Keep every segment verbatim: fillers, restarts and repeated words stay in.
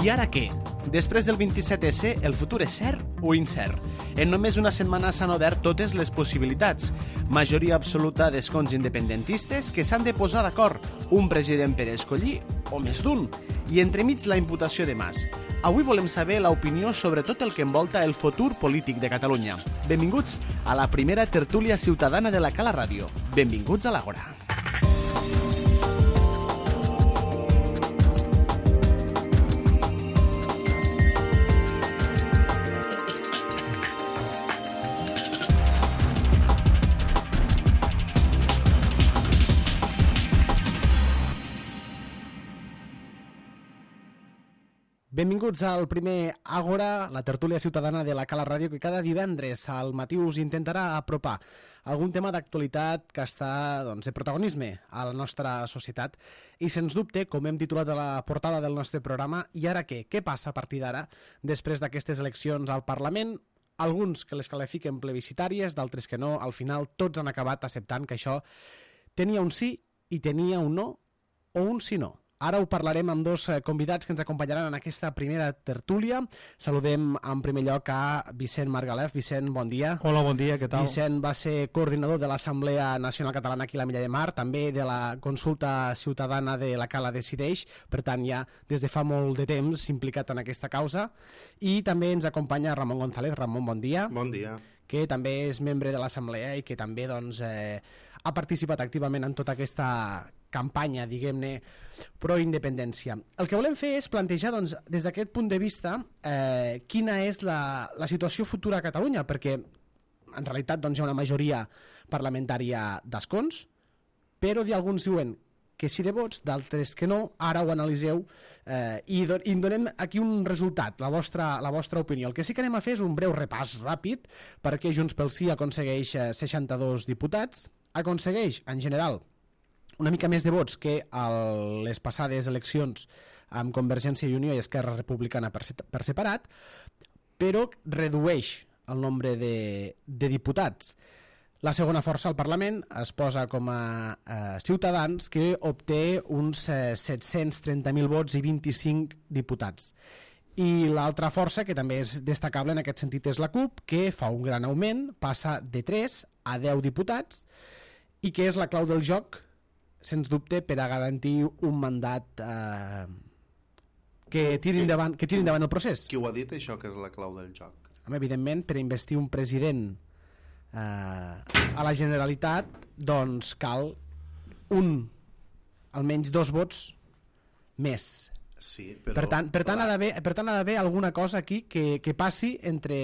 I ara què? Després del vint-i-set esse, el futur és cert o incert? En només una setmana s'han obert totes les possibilitats. Majoria absoluta d'escons independentistes que s'han de posar d'acord, un president per escollir o més d'un, i entremig la imputació de Mas. Avui volem saber l'opinió sobre tot el que envolta el futur polític de Catalunya. Benvinguts a la primera tertúlia ciutadana de la Cala Ràdio. Benvinguts a l'Àgora. Benvinguts al primer Àgora, la tertúlia ciutadana de la Cala Ràdio, que cada divendres al matí us intentarà apropar algun tema d'actualitat que està doncs, de protagonisme a la nostra societat. I sens dubte, com hem titulat a la portada del nostre programa, i ara què? Què passa a partir d'ara, després d'aquestes eleccions al Parlament? Alguns que les qualifiquen plebiscitàries, d'altres que no. Al final tots han acabat acceptant que això tenia un sí i tenia un no o un sí no. Ara ho parlarem amb dos convidats que ens acompanyaran en aquesta primera tertúlia. Saludem en primer lloc a Vicent Margalef. Vicent, bon dia. Hola, bon dia, què tal? Vicent va ser coordinador de l'Assemblea Nacional Catalana aquí a la Milla de Mar, també de la consulta ciutadana de la Cala Decideix, per tant ja des de fa molt de temps implicat en aquesta causa. I també ens acompanya Ramon González. Ramon, bon dia. Bon dia. Que també és membre de l'Assemblea i que també doncs, eh, ha participat activament en tota aquesta campanya, diguem-ne, pro-independència. El que volem fer és plantejar, doncs, des d'aquest punt de vista, eh, quina és la, la situació futura a Catalunya, perquè en realitat doncs, hi ha una majoria parlamentària d'escons, però alguns diuen que sí de vots, d'altres que no. Ara ho analiseu eh, i, do, i donem aquí un resultat, la vostra, la vostra opinió. El que sí que anem a fer és un breu repàs ràpid, perquè Junts pel Sí aconsegueix eh, seixanta-dos diputats, aconsegueix, en general, una mica més de vots que a les passades eleccions amb Convergència i Unió i Esquerra Republicana per, per separat, però redueix el nombre de, de diputats. La segona força al Parlament es posa com a eh, Ciutadans, que obté uns eh, set-cents trenta mil vots i vint-i-cinc diputats. I l'altra força, que també és destacable en aquest sentit, és la CUP, que fa un gran augment, passa de tres a deu diputats, i que és la clau del joc, sens dubte, per a garantir un mandat eh, que tiri endavant, que tiri endavant el procés. Qui ho ha dit, això, que és la clau del joc? Home, evidentment, per a investir un president eh, a la Generalitat, doncs cal un, almenys dos vots més. Sí, però... Per tant, per tant, ha d'haver, per tant, ha d'haver alguna cosa aquí que, que passi entre,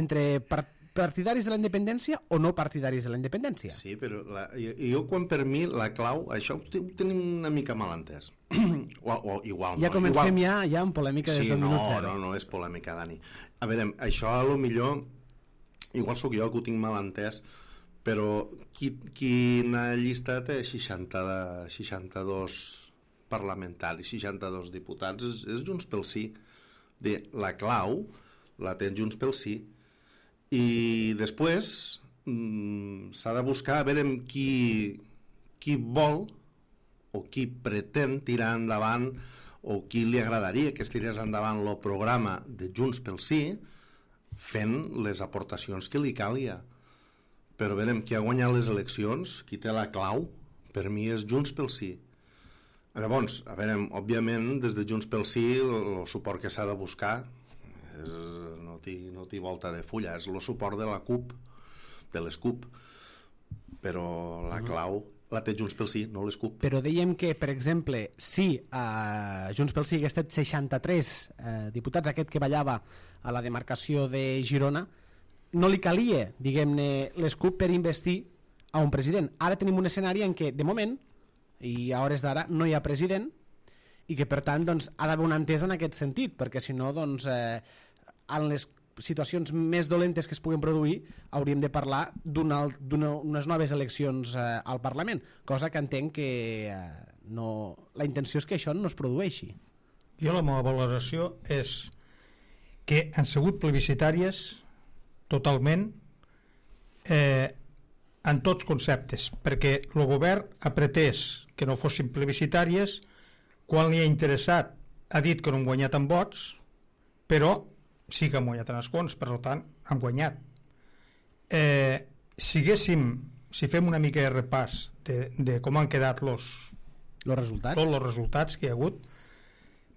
entre part, partidaris de la independència o no partidaris de la independència. Sí, però la, jo, jo quan per mi la clau, això ho tenim una mica mal entès. o, o igual ja no. comencem igual... ja, ja amb polèmica des sí, del no, minut zero. No, no és polèmica, Dani. A veure, això a lo millor, igual sóc jo que ho tinc mal entès, però qui, quina llista té seixanta, seixanta-dos parlamentaris, seixanta-dos diputats, és, és Junts pel Sí. De, la clau la té Junts pel Sí. I després mmm, s'ha de buscar a veure qui, qui vol o qui pretén tirar endavant o qui li agradaria que es tirés endavant el programa de Junts pel Sí fent les aportacions que li calia. Però veurem qui ha guanyat les eleccions, qui té la clau, per mi és Junts pel Sí. Llavors, a veure, òbviament des de Junts pel Sí el, el suport que s'ha de buscar és, no t'hi no volta de fulla, és el suport de la CUP, de les CUP, però la clau la té Junts pel Sí, no les CUP. Però dèiem que, per exemple, si eh, Junts pel Sí hagués estat seixanta-tres eh, diputats, aquest que ballava a la demarcació de Girona, no li calia, diguem-ne, les CUP per investir a un president. Ara tenim un escenari en què, de moment, i a hores d'ara, no hi ha president, i que per tant doncs, ha d'haver una entesa en aquest sentit, perquè si no doncs, eh, en les situacions més dolentes que es puguen produir hauríem de parlar d'unes noves eleccions eh, al Parlament, cosa que entenc que eh, no, la intenció és que això no es produeixi. Jo la meva valoració és que han sigut plebiscitàries totalment eh, en tots conceptes, perquè el govern ha pretès que no fossin plebiscitàries quan li ha interessat ha dit que no han guanyat en vots, però sí que han guanyat en escons, per tant, han guanyat. Eh, si haguéssim, si fem una mica de repàs de, de com han quedat los, los resultats. tots els resultats que hi ha hagut,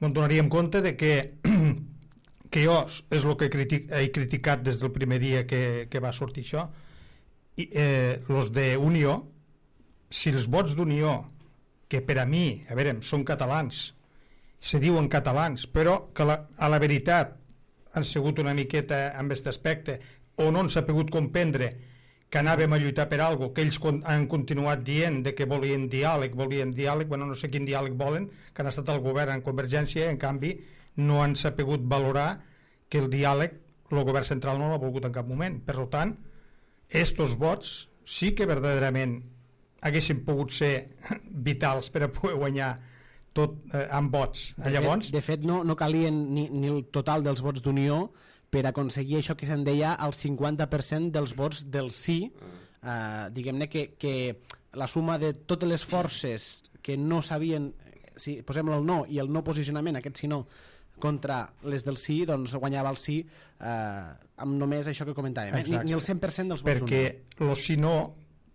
ens donaríem compte de que que jo és el que critic, he criticat des del primer dia que, que va sortir això, i eh, los d'Unió, si els vots d'Unió, que per a mi, a veure, són catalans, se diuen catalans, però que la, a la veritat han sigut una miqueta amb aquest aspecte, o no s'ha pogut comprendre que anàvem a lluitar per alguna cosa, que ells con, han continuat dient de que volien diàleg, volien diàleg, bueno, no sé quin diàleg volen, que han estat al govern en Convergència, en canvi no han sabut valorar que el diàleg el govern central no l'ha volgut en cap moment. Per tant, estos vots sí que verdaderament haguessin pogut ser vitals per a poder guanyar tot eh, amb vots. De Llavors, fet, de fet no, no calien ni, ni el total dels vots d'Unió per aconseguir això que se'n deia el cinquanta per cent dels vots del sí, eh, diguem-ne que, que la suma de totes les forces que no sabien, si posem el no i el no posicionament, aquest sí no, contra les del sí, doncs guanyava el sí eh, amb només això que comentàvem, eh? ni, ni el cent per cent dels vots perquè d'Unió. el sí no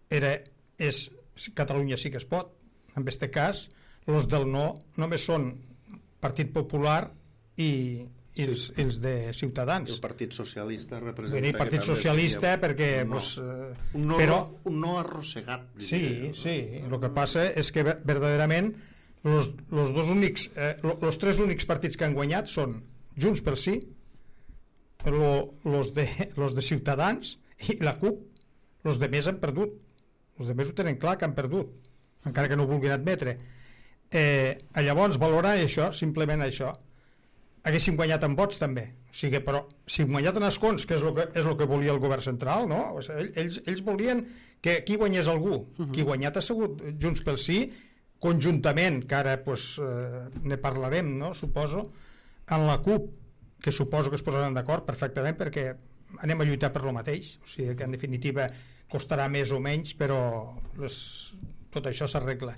era, és Catalunya sí que es pot, en aquest cas els del no només són Partit Popular i, i els, els de Ciutadans. El Partit Socialista representa... Venir Partit Socialista seria... perquè... No. Pues, eh, un, no, però, un no arrossegat. Sí, diria, sí. El que passa és que verdaderament los, los, dos únics, eh, los tres únics partits que han guanyat són Junts pel Sí, lo, los, de, los de Ciutadans i la CUP. Los de més han perdut. Els de més ho tenen clar que han perdut, encara que no ho vulguin admetre. Eh, llavors, valorar això, simplement això, haguéssim guanyat en vots també, o sigui, però si hem guanyat en escons, que és el que, és el que volia el govern central, no? O sigui, ells, ells volien que aquí guanyés algú. Uh-huh. Qui guanyat ha sigut Junts pel Sí, conjuntament, que ara pues, eh, ne parlarem, no? Suposo, en la CUP, que suposo que es posaran d'acord perfectament perquè anem a lluitar per lo mateix, o sigui que en definitiva costarà més o menys, però les, tot això s'arregla.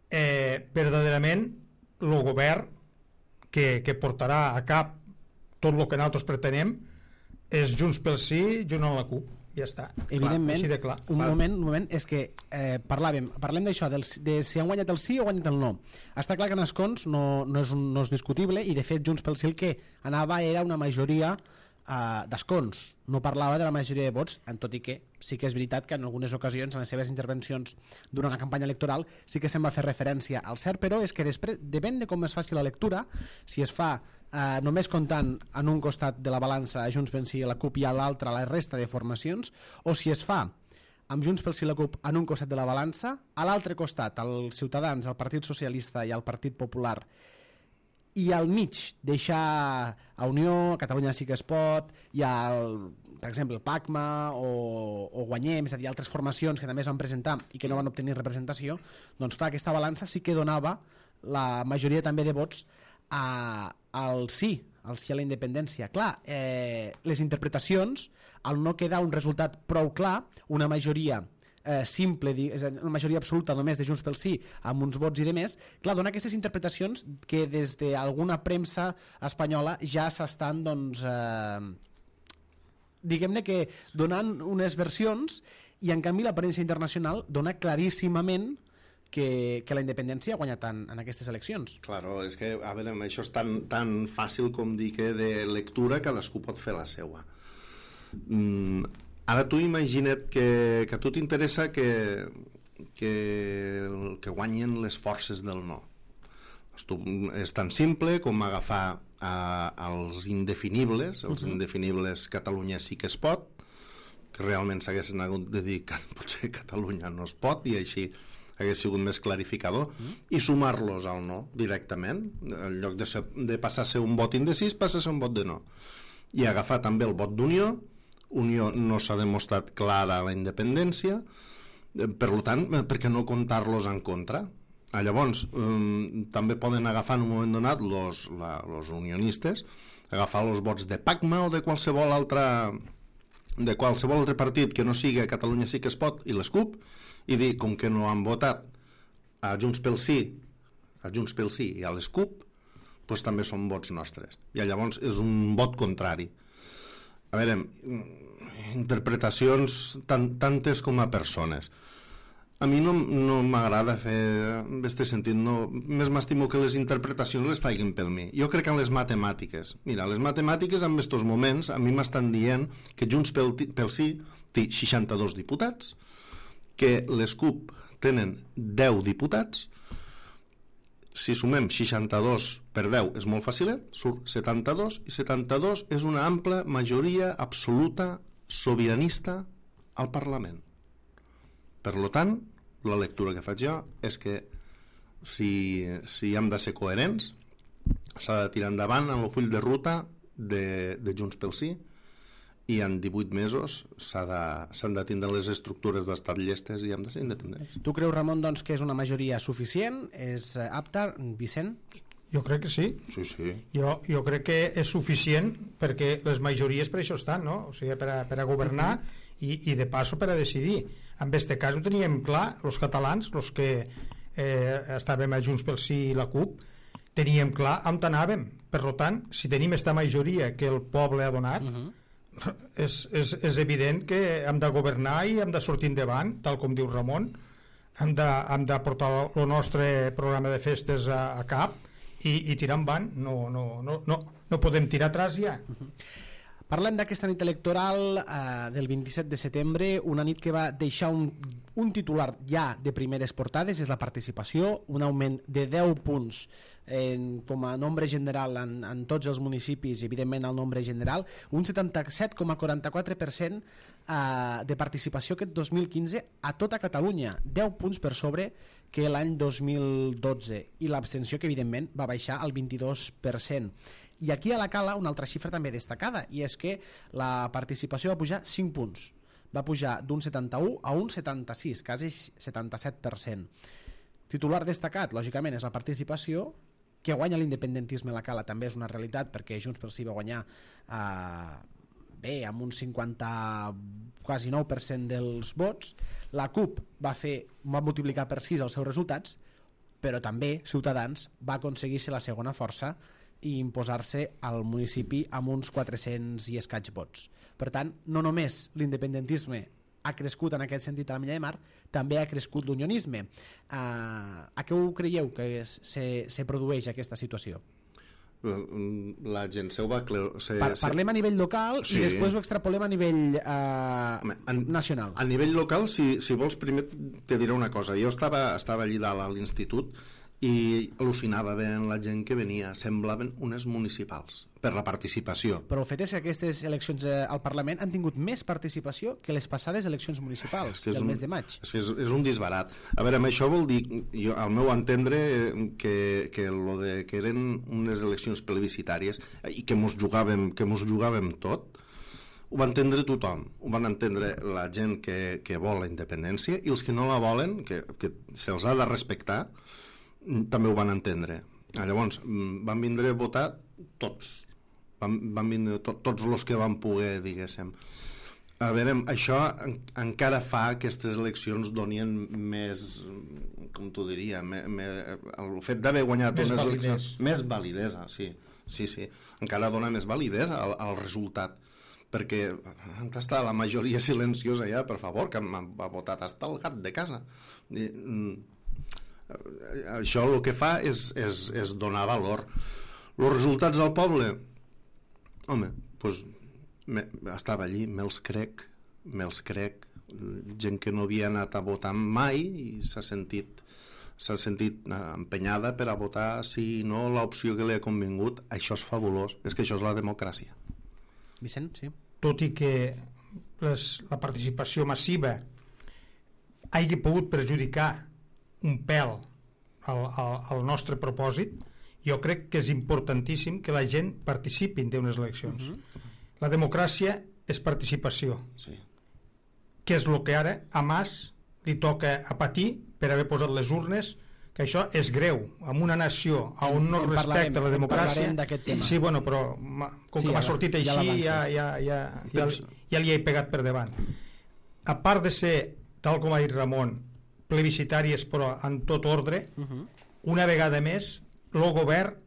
Eh, verdaderament el govern que, que portarà a cap tot el que nosaltres pretenem és Junts pel Sí, junt amb la CUP, ja està. Evidentment, clar, així de clar. un moment, un moment, és que eh, parlàvem, parlem d'això, de si han guanyat el sí o guanyat el no. Està clar que en escons no, no, és un, no és discutible, i de fet Junts pel Sí el que anava era una majoria Uh, d'escons, no parlava de la majoria de vots, en tot i que sí que és veritat que en algunes ocasions en les seves intervencions durant la campanya electoral sí que se'n va fer referència al cert, però és que després, depèn de com es faci la lectura, si es fa uh, només comptant en un costat de la balança a Junts pel Sí i la CUP i a l'altre la resta de formacions, o si es fa amb Junts pel Sí i la CUP en un costat de la balança, a l'altre costat els Ciutadans, el Partit Socialista i el Partit Popular, i al mig deixar a Unió, a Catalunya sí que es pot, i al, per exemple, el PACMA o, o Guanyem, és a dir, altres formacions que també es van presentar i que no van obtenir representació, doncs clar, aquesta balança sí que donava la majoria també de vots a, al sí, al sí a la independència. Clar, eh, les interpretacions, al no quedar un resultat prou clar, una majoria Eh, simple, és a dir, una majoria absoluta només de Junts pel Sí amb uns vots i de més, clar, dona aquestes interpretacions que des d'alguna premsa espanyola ja s'estan doncs eh, diguem-ne que donant unes versions, i en canvi l'aparència internacional dona claríssimament que, que la independència ha guanyat en, en aquestes eleccions. Claro, és que, a veure, això és tan, tan fàcil com dir que de lectura cadascú pot fer la seua. Mm, ara tu imagina't que, que a tu t'interessa que, que, que guanyen les forces del no. Doncs tu, és tan simple com agafar a, als indefinibles, els uh-huh. indefinibles Catalunya sí que es pot, que realment s'haguessin hagut de dir que potser Catalunya no es pot, i així hagués sigut més clarificador, uh-huh. i sumar-los al no directament, en lloc de, ser, de passar a ser un vot indecis, passa a ser un vot de no. I agafar també el vot d'Unió. Unió no s'ha demostrat clara a la independència, per tant, per què no comptar-los en contra? Ah, llavors, eh, també poden agafar en un moment donat los, la, los unionistes, agafar els vots de PACMA o de qualsevol altre de qualsevol altre partit que no sigui Catalunya sí que es pot i les CUP, i dir, com que no han votat a Junts pel Sí, a Junts pel Sí i a les CUP, doncs també són vots nostres. I llavors és un vot contrari. A veure, interpretacions tan, tantes com a persones. A mi no, no m'agrada fer en aquest sentit, no, més m'estimo que les interpretacions les facin per mi. Jo crec que en les matemàtiques, mira, les matemàtiques en aquests moments a mi m'estan dient que Junts pel, pel Sí té seixanta-dos diputats, que les CUP tenen deu diputats, si sumem seixanta-dos per deu és molt fàcil, surt setanta-dos, i setanta-dos és una ampla majoria absoluta sobiranista al Parlament. Per tant, la lectura que faig jo és que si, si hem de ser coherents s'ha de tirar endavant en el full de ruta de, de Junts pel Sí, i en divuit mesos s'han de, s'han de tindre les estructures d'estat llestes i hem de ser independents. Tu creus, Ramon, doncs, que és una majoria suficient? És apta? Vicent? Jo crec que sí. Sí, sí. Jo, jo crec que és suficient perquè les majories per això estan, no? O sigui, per a, per a governar i, i de passo per a decidir. En aquest cas ho teníem clar, els catalans, els que eh, estàvem a Junts pel Sí i la CUP, teníem clar on anàvem. Per tant, si tenim aquesta majoria que el poble ha donat, uh -huh. és, és, és evident que hem de governar i hem de sortir endavant, tal com diu Ramon, hem de, hem de portar el nostre programa de festes a, a cap i, i tirar endavant. No, no, no, no, no podem tirar atrás ja. Uh -huh. Parlem d'aquesta nit electoral eh, del vint-i-set de setembre, una nit que va deixar un, un titular ja de primeres portades, és la participació, un augment de deu punts en, com a nombre general en, en tots els municipis, evidentment el nombre general, un setanta-set coma quaranta-quatre per cent eh, de participació aquest dos mil quinze a tota Catalunya, deu punts per sobre que l'any dos mil dotze, i l'abstenció que evidentment va baixar al vint-i-dos per cent. I aquí a la Cala una altra xifra també destacada, i és que la participació va pujar cinc punts, va pujar d'un setanta-u a un setanta-sis, quasi setanta-set per cent. Titular destacat, lògicament, és la participació, que guanya l'independentisme a la Cala també és una realitat, perquè Junts pel Sí va guanyar eh, bé, amb un cinquanta, quasi nou per cent dels vots. La CUP va fer, va multiplicar per sis els seus resultats, però també Ciutadans va aconseguir ser la segona força i imposar-se al municipi amb uns quatre-cents i escaig vots. Per tant, no només l'independentisme ha crescut en aquest sentit a la Milla de Mar, també ha crescut l'unionisme. Uh, a què ho creieu que es, se, se produeix aquesta situació? La gent se ho va... Se, pa parlem a nivell local, sí, i després ho extrapolem a nivell uh, Home, en, nacional. A nivell local, si, si vols, primer te diré una cosa. Jo estava, estava allí dalt a l'institut i al·lucinava veient la gent que venia, semblaven unes municipals per la participació. Però el fet és que aquestes eleccions al Parlament han tingut més participació que les passades eleccions municipals del un, mes de maig. És, és, és un disbarat. A veure, amb això vol dir, jo, al meu entendre, que, que, lo de, que eren unes eleccions plebiscitàries i que mos jugàvem, que mos jugàvem tot, ho va entendre tothom. Ho van entendre la gent que, que vol la independència, i els que no la volen, que, que se'ls ha de respectar, també ho van entendre. Llavors van vindre a votar tots, van, van vindre to, tots els que van poder, diguéssim. A veure, això en, encara fa que aquestes eleccions donien més, com t'ho diria, me, me, el fet d'haver guanyat més unes validesa. eleccions, més validesa, sí, sí, sí, encara dona més validesa al, al resultat, perquè on està la majoria silenciosa ja, per favor, que m'ha votat hasta el gat de casa. I, això el que fa és, és, és donar valor. Els resultats del poble, home, doncs me, estava allí, me'ls crec, me'ls crec, gent que no havia anat a votar mai i s'ha sentit s'ha sentit empenyada per a votar sí o no l'opció que li ha convingut. Això és fabulós, és que això és la democràcia. Vicent, sí. Tot i que les, la participació massiva hagi pogut perjudicar un pèl al, al, al nostre propòsit, jo crec que és importantíssim que la gent participi en unes eleccions. Uh-huh. La democràcia és participació, sí. Que és el que ara a Mas li toca a patir per haver posat les urnes, que això és greu en una nació on no es respecta la democràcia. Sí, bueno, però com sí, que m'ha sortit ja, així ja, ja, ja, ja, ja, ja li he pegat per davant. A part de ser, tal com ha dit Ramon, plebiscitàries però en tot ordre, uh-huh. Una vegada més el govern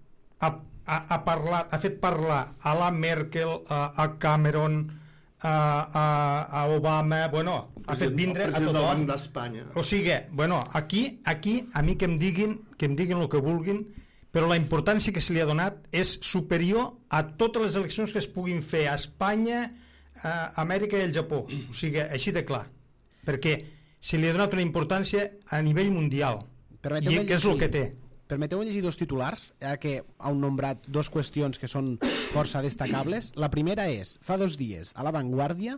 ha ha, ha, parlat, ha fet parlar a la Merkel, a, a Cameron, a, a, a Obama, bueno, ha fet vindre a tothom. El Banc d'Espanya. O sigui, bueno, aquí, aquí a mi que em diguin, que em diguin el que vulguin, però la importància que se li ha donat és superior a totes les eleccions que es puguin fer a Espanya, a Amèrica i al Japó. O sigui, així de clar. Perquè se li ha donat una importància a nivell mundial. I que és el que té. Permeteu llegir dos titulars, eh, que han nombrat dos qüestions que són força destacables. La primera és, fa dos dies, a La Vanguardia,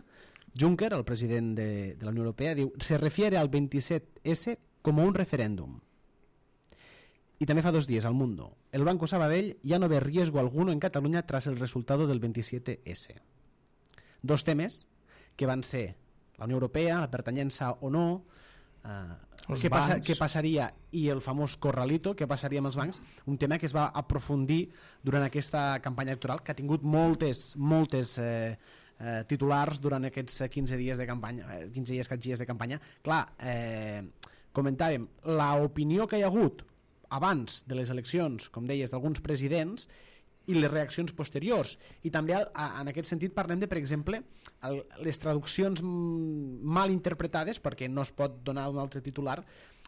Juncker, el president de, de la Unió Europea, diu, se refiere al veintisiete ese como un referéndum. Y también fa dos días al Mundo. El Banco Sabadell ya no ve riesgo alguno en Cataluña tras el resultado del veintisiete ese. Dos temes que van ser la Unió Europea, la pertanyença o no, eh, què, passa, què passaria, i el famós corralito, què passaria amb els bancs, un tema que es va aprofundir durant aquesta campanya electoral, que ha tingut moltes, moltes eh, eh, titulars durant aquests quinze dies de campanya, eh, quinze dies, dies de campanya. Clar, eh, comentàvem, l'opinió que hi ha hagut abans de les eleccions, com deies, d'alguns presidents, i les reaccions posteriors. I també en aquest sentit parlem de, per exemple, el, les traduccions mal interpretades, perquè no es pot donar un altre titular,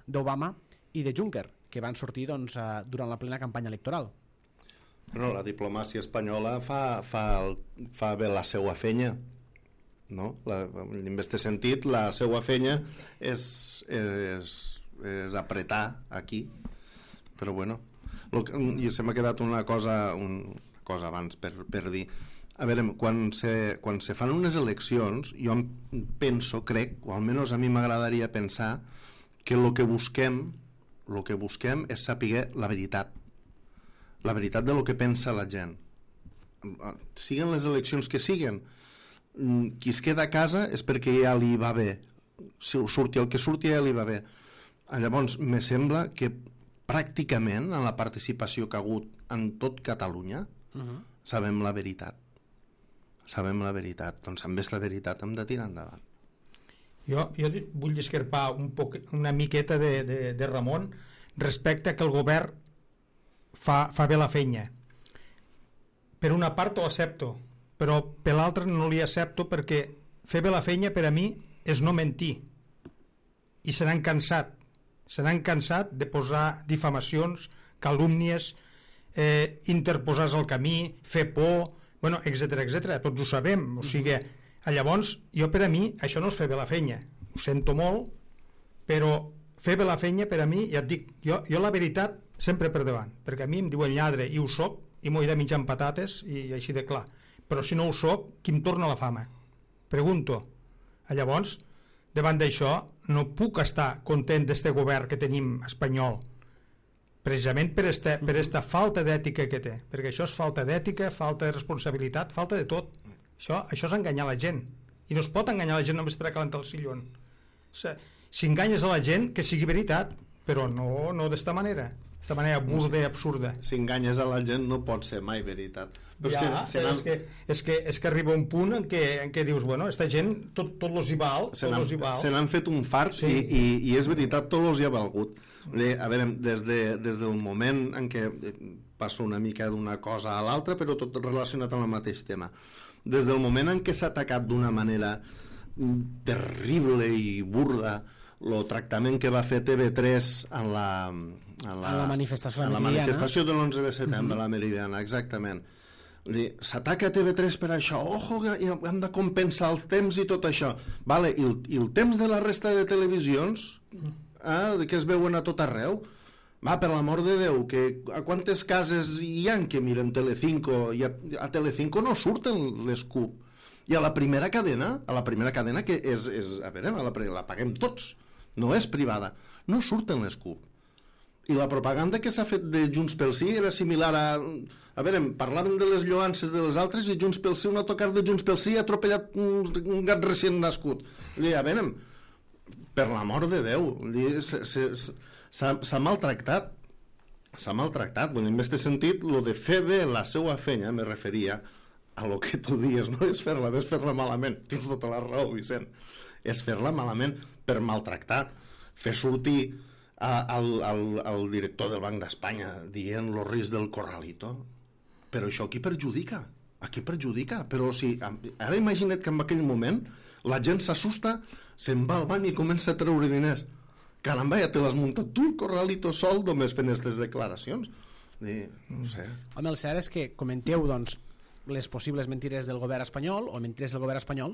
d'Obama i de Juncker, que van sortir doncs, durant la plena campanya electoral. Bueno, la diplomàcia espanyola fa, fa, el, fa bé la seva feina, no? La, en aquest sentit, la seva feina és, és, és apretar aquí, però bueno, que, i se m'ha quedat una cosa, una cosa abans per, per dir. A veure, quan se, quan se fan unes eleccions, jo penso, crec, o almenys a mi m'agradaria pensar que el que busquem el que busquem és saber la veritat, la veritat de lo que pensa la gent. Siguen les eleccions que siguen, qui es queda a casa és perquè ja li va bé, si surti el que surti ja li va bé. Llavors me sembla que pràcticament en la participació que ha hagut en tot Catalunya uh-huh. sabem la veritat sabem la veritat doncs amb aquesta veritat hem de tirar endavant. Jo, jo vull discrepar un poc, una miqueta de, de, de Ramon respecte a que el govern fa, fa bé la feina. Per una part ho accepto, però per l'altra no li accepto, perquè fer bé la feina per a mi és no mentir, i se n'han cansat se n'han cansat de posar difamacions, calúmnies, eh, interposar al camí, fer por, bueno, etcètera, etcètera. Tots ho sabem. O sigui, llavors, jo per a mi, això no és fer bé la feina. Ho sento molt, però fer bé la feina per a mi, ja et dic, jo, jo la veritat sempre per davant, perquè a mi em diuen lladre i ho soc, i m'ho he de menjar amb patates, i així de clar. Però si no ho soc, qui em torna la fama? Pregunto. Llavors, davant d'això, no puc estar content d'este govern que tenim espanyol, precisament per esta, per esta falta d'ètica que té, perquè això és falta d'ètica, falta de responsabilitat, falta de tot. Això, això és enganyar la gent, i no es pot enganyar la gent només per a calentar el sillon. Si enganyes a la gent, que sigui veritat, però no, no d'esta manera, d'esta manera burda i absurda. Si enganyes a la gent no pot ser mai veritat. Però ja, és, que, és, que, és, que, és que arriba un punt en què, en què dius, bueno, esta gent tot, tot los hi val, se n'han fet un fart, sí. i, i, i és veritat, tot los hi ha valgut. A veure, des, de, des del moment en què passa una mica d'una cosa a l'altra, però tot relacionat amb el mateix tema, des del moment en què s'ha atacat d'una manera terrible i burda el tractament que va fer T V tres en la, en la, en la manifestació, en la manifestació de l'onze de setembre, uh-huh. la Meridiana, exactament. S'ataca T V tres per això, ojo, hem de compensar el temps i tot això. Vale, i, el, i el temps de la resta de televisions eh, que es veuen a tot arreu, va, per l'amor de Déu, que a quantes cases hi ha que miren Telecinco, i a, a Telecinco no surten les C U P, i a la primera cadena, a la primera cadena que és, és a veure, la, la paguem tots, no és privada, no surten les C U P. I la propaganda que s'ha fet de Junts pel Sí era similar a... A veure, parlaven de les lloances de les altres i Junts pel Sí, un autocar de Junts pel Sí ha atropellat un, un gat recient nascut. A veure, per l'amor de Déu, s'ha maltractat. S'ha maltractat. Bueno, en aquest sentit, lo de fer bé la seva feina, me referia a lo que tu dius, no és fer-la bé, és fer-la malament. Tens tota la raó, Vicent. És fer-la malament per maltractar. Fer sortir al, al, al director del Banc d'Espanya dient lo risc del corralito. però això qui perjudica? A qui perjudica? Però si, ara imagina't que en aquell moment la gent s'assusta, se'n va al bany i comença a treure diners. Caramba, ja te l'has muntat tu, el corralito sol, només fent aquestes declaracions. I, no sé. Home, el cert és que comenteu, doncs, les possibles mentires del govern espanyol, o mentires del govern espanyol,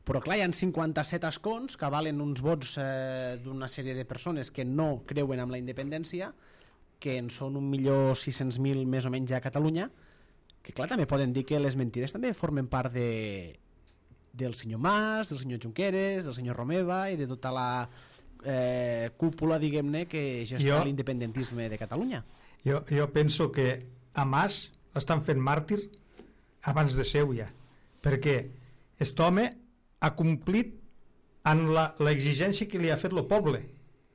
però clar, hi ha cinquanta-set escons que valen uns vots eh, d'una sèrie de persones que no creuen en la independència, que en són un milió sis-cents mil més o menys a Catalunya, que clar, també poden dir que les mentires també formen part de, del senyor Mas, del senyor Junqueras, del senyor Romeva i de tota la eh, cúpula, diguem-ne, que gesta jo, l'independentisme de Catalunya. Jo, jo penso que a Mas l'estan fent màrtir abans de seu ja, perquè aquest home ha complit en l'exigència que li ha fet el poble,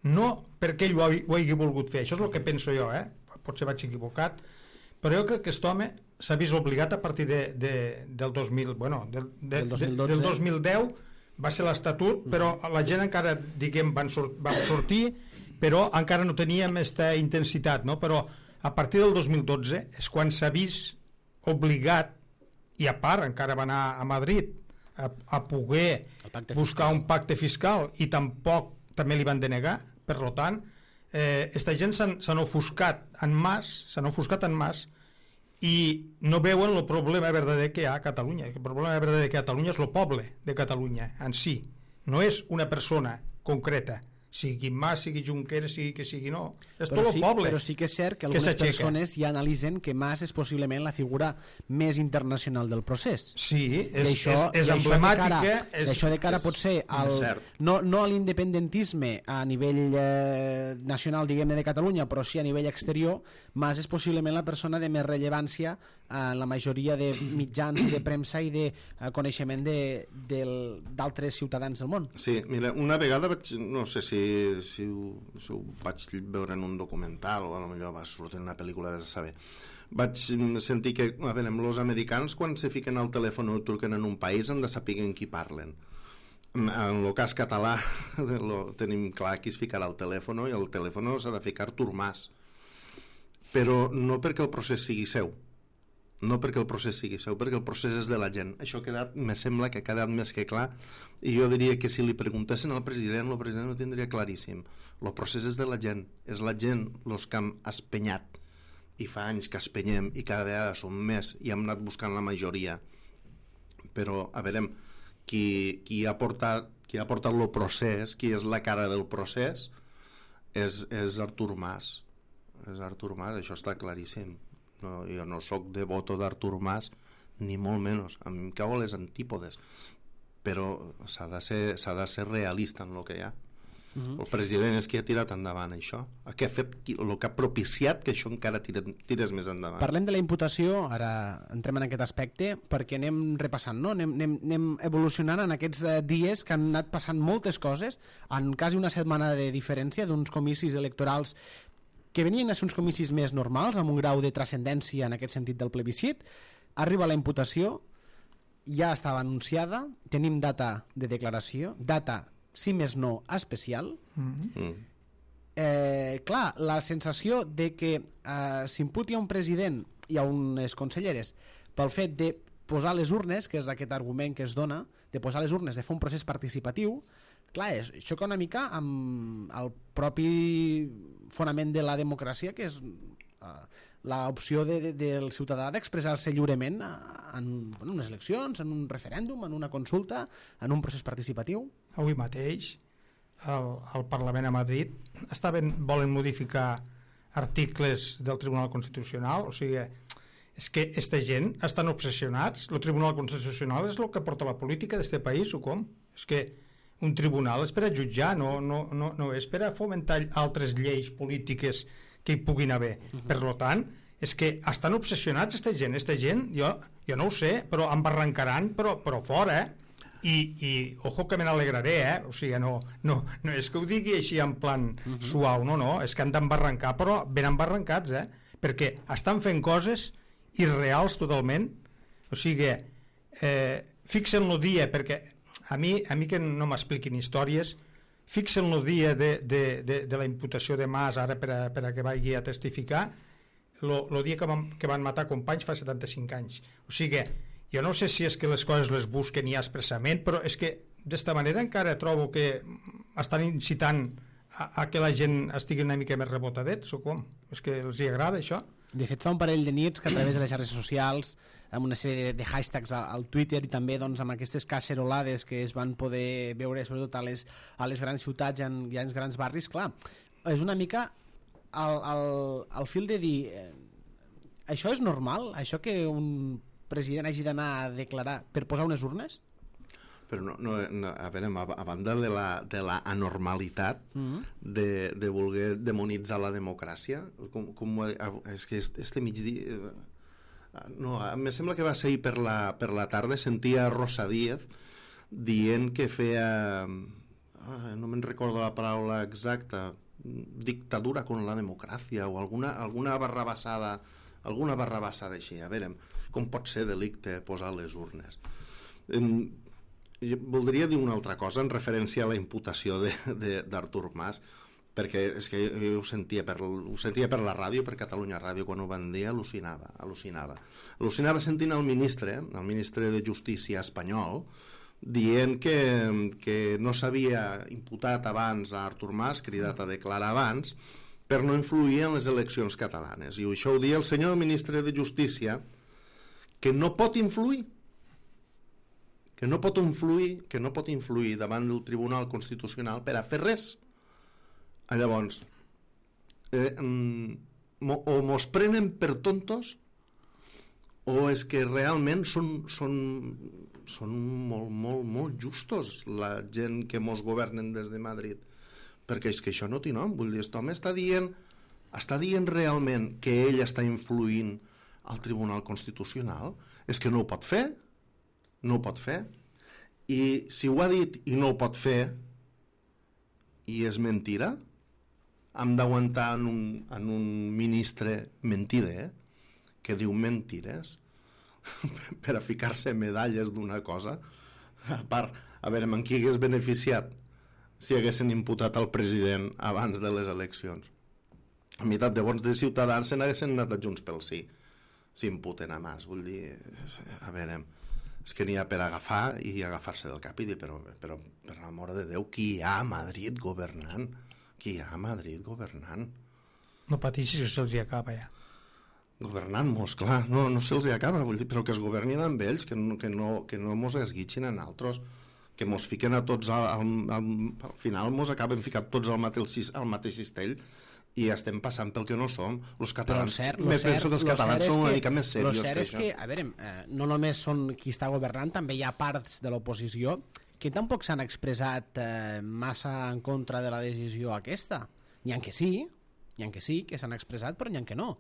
no perquè ell ho, ha, ho hagi volgut fer. Això és el que penso jo, eh? Potser vaig equivocat, però jo crec que aquest home s'ha vist obligat a partir de, de, del dos mil, bueno, del, de, del, dos mil dotze. Del dos mil deu va ser l'Estatut, però la gent encara, diguem, van, sort, van sortir, però encara no teníem aquesta intensitat, no? Però a partir del dos mil dotze és quan s'ha vist obligat, i a part encara va anar a Madrid a, a poder buscar un pacte fiscal i tampoc també li van denegar, per tant eh, esta gent s'han ofuscat en Mas, s'han ofuscat en Mas i no veuen el problema verdader que hi ha a Catalunya. El problema verdader que hi ha a Catalunya és el poble de Catalunya en si, no és una persona concreta, sigui Mas, sigui Junqueras, sigui que sigui no, és tot el sí, poble. Però sí que és cert que algunes persones ja analitzen que Mas és possiblement la figura més internacional del procés. Sí, és, això, és, és emblemàtica. D'això de cara pot ser el, no, no a l'independentisme a nivell eh, nacional, diguem-ne, de Catalunya, però sí a nivell exterior, Mas és possiblement la persona de més rellevància en la majoria de mitjans de premsa i de uh, coneixement d'altres ciutadans del món. Sí, mira, una vegada vaig, no sé si, si, ho, si ho vaig veure en un documental o potser va sortir en una pel·lícula de saber, vaig sentir que, a veure, els americans quan se fiquen al telèfon o truquen en un país han de saber en qui parlen. En el cas català lo tenim clar qui es ficarà al telèfon i el telèfon s'ha de ficar Artur Mas, però no perquè el procés sigui seu, no perquè el procés sigui seu, perquè el procés és de la gent. Això ha quedat, me sembla que ha quedat més que clar, i jo diria que si li preguntessin al president, el president ho tindria claríssim. El procés és de la gent, és la gent els que han espenyat, i fa anys que espenyem i cada vegada som més i hem anat buscant la majoria, però a veure, qui, qui ha portat qui ha portat el procés, qui és la cara del procés, és, és Artur Mas, és Artur Mas, això està claríssim. No, jo no sóc devoto d'Artur Mas ni molt menys, a mi em cauen les antípodes, però s'ha de ser, s'ha de ser realista en el que hi ha. Uh-huh. El president és qui ha tirat endavant això, el que ha fet, el que ha propiciat que això encara tires, tires més endavant. Parlem de la imputació, ara entrem en aquest aspecte, perquè anem repassant, no? anem, anem, anem evolucionant en aquests dies que han anat passant moltes coses, en quasi una setmana de diferència d'uns comicis electorals que venien a ser uns comicis més normals, amb un grau de transcendència en aquest sentit del plebiscit. Arriba la imputació, ja estava anunciada, tenim data de declaració, data, si més no, especial. Mm-hmm. eh, clar, la sensació de que eh, s'imputi a un president i a unes conselleres pel fet de posar les urnes, que és aquest argument que es dona, de posar les urnes, de fer un procés participatiu, clar, és, xoca una mica amb el propi fonament de la democràcia, que és uh, l'opció de, de, del ciutadà d'expressar-se lliurement en, en unes eleccions, en un referèndum, en una consulta, en un procés participatiu. Avui mateix el, el Parlament a Madrid estaven, volen modificar articles del Tribunal Constitucional, o sigui, és que aquesta gent estan obsessionats. El Tribunal Constitucional és el que porta la política d'aquest país, o com? És que un tribunal és per a jutjar, no, no, no, no és per a fomentar altres lleis polítiques que hi puguin haver. Uh-huh. Per tant, és que estan obsessionats aquesta gent, aquesta gent, jo, jo no ho sé, però em barrancaran, però, però fora, eh? I, i ojo que me n'alegraré, eh? O sigui, no, no, no és que ho digui així en plan uh-huh. suau, no, no, és que han d'embarrancar, però ben embarrancats, eh? Perquè estan fent coses irreals totalment, o sigui, eh, fixen el dia, perquè a mi, a mi que no m'expliquin històries, fixen el dia de, de, de, de la imputació de Mas ara per a, per a que vagi a testificar, el dia que van, que van matar companys fa setanta-cinc anys. O sigui, jo no sé si és que les coses les busquen ja expressament, però és que d'esta manera encara trobo que estan incitant a, a que la gent estigui una mica més rebotadets, o com? És que els hi agrada això? De fet, fa un parell de nits que a través de les xarxes socials, amb una sèrie de hashtags al Twitter i també doncs, amb aquestes cacerolades que es van poder veure sobretot a les, a les grans ciutats i en, i en grans barris, clar, és una mica al, al, al fil de dir eh, això és normal? Això que un president hagi d'anar a declarar per posar unes urnes? Però no, no, no, a veure, a banda de la, de la anormalitat mm-hmm. de, de voler demonitzar la democràcia, com, com, és que este, este migdia... No, em sembla que va ser ahir per la, per la tarda, sentia Rosa Díez dient que feia... Oh, no me'n recordo la paraula exacta, dictadura con la democràcia o alguna, alguna barrabassada, alguna barrabassada així. A veure, com pot ser delicte posar les urnes? Um, Jo voldria dir una altra cosa en referència a la imputació d'Artur Mas, perquè és que jo ho sentia, per, ho sentia per la ràdio, per Catalunya Ràdio, quan ho van dir, al·lucinava, al·lucinava. Al·lucinava sentint el ministre, el ministre de Justícia espanyol, dient que, que no s'havia imputat abans a Artur Mas, cridat a declarar abans, per no influir en les eleccions catalanes. I això ho dia el senyor ministre de Justícia, que no pot influir, que no pot influir, que no pot influir davant del Tribunal Constitucional per a fer res. Llavors, eh, o mos prenen per tontos o és que realment són, són, són molt, molt, molt justos la gent que mos governen des de Madrid, perquè és que això no té nom. Vull dir, aquest home està dient, està dient realment que ell està influint al Tribunal Constitucional. És que no ho pot fer. No ho pot fer. I si ho ha dit i no ho pot fer i és mentira, hem d'aguantar en, un, en un ministre mentider que diu mentires per a ficar-se medalles d'una cosa. A part, a veure, en qui hagués beneficiat si haguessin imputat al president abans de les eleccions? A meitat de vots de Ciutadans se n'haguessin anat a Junts pel Sí, si imputen a Mas. Vull dir, a veure, és que n'hi ha per agafar i agafar-se del cap i dir, però, però per l'amor de Déu, qui hi ha a Madrid governant? Qui hi ha a Madrid governant? No pateixis que se'ls hi acaba ja. Governant-mos, clar, no, no se'ls hi acaba, vull dir, però que es governin amb ells, que no, que no, que no mos esguitxin en altres, que mos fiquen a tots, al, al, al, al final mos acaben ficat tots al mateix, al mateix cistell, i estem passant pel que no som. Els catalans, cert, me cert, penso que els catalans són una mica més serios que això. Que, a veure, eh, no només són qui està governant, també hi ha parts de l'oposició que tampoc s'han expressat eh, massa en contra de la decisió aquesta. N'hi ha que sí, n'hi ha que sí, que s'han expressat, però n'hi ha que no.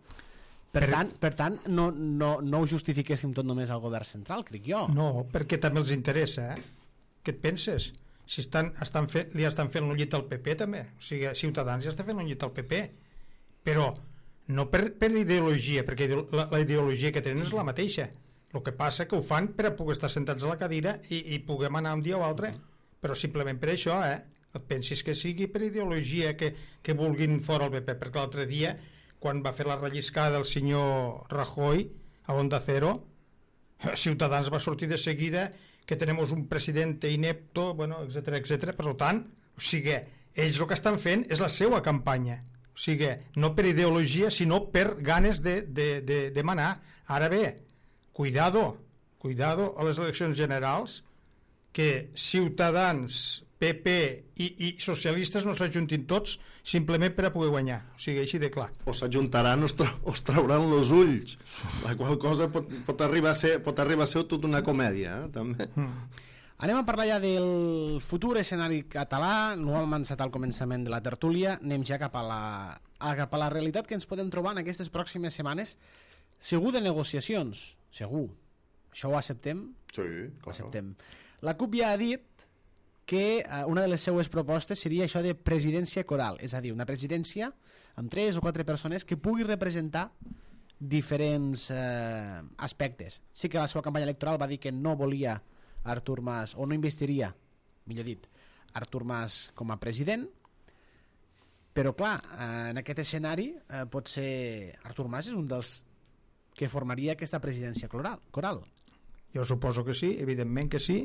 Per, per tant, per tant no, no, no ho justifiquéssim tot només al govern central, crec jo. No, perquè també els interessa, eh? Què et penses? Si estan, estan fet, li estan fent un llit al P P també, o sigui, Ciutadans ja està fent un llit al P P, però no per, per ideologia, perquè la, la ideologia que tenen és la mateixa. El que passa que ho fan per a poder estar sentats a la cadira i, i puguem anar un dia o altre, però simplement per això, eh? Et pensis que sigui per ideologia que, que vulguin fora el P P, perquè l'altre dia, quan va fer la relliscada del senyor Rajoy a Onda Cero, Ciutadans va sortir de seguida que tenemos un presidente inepto, bueno, etcètera, etcètera. Per tant, o sigui, ells el que estan fent és la seva campanya. O sigui, no per ideologia, sinó per ganes de, de, de, de manar. Ara bé, cuidado, cuidado a les eleccions generals, que Ciutadans, P P i, i socialistes no s'ajuntin tots simplement per a poder guanyar, o sigui, així de clar. O s'ajuntaran o, tra o es trauran els ulls, la qual cosa pot, pot, arribar a ser, pot arribar a ser tota una comèdia, eh, també. Mm. Anem a parlar ja del futur escenari català. No ho hem avançat al començament de la tertúlia, anem ja cap a la, a, cap a la realitat que ens podem trobar en aquestes pròximes setmanes. Segur de negociacions, segur. Això ho acceptem? Sí, clar. Acceptem. La CUP ja ha dit que eh, una de les seues propostes seria això de presidència coral, és a dir, una presidència amb tres o quatre persones que pugui representar diferents eh, aspectes. Sí que la seva campanya electoral va dir que no volia Artur Mas, o no investiria, millor dit, Artur Mas com a president, Però, clar, eh, en aquest escenari eh, pot ser Artur Mas és un dels que formaria aquesta presidència coral. coral. Jo suposo que sí, evidentment que sí,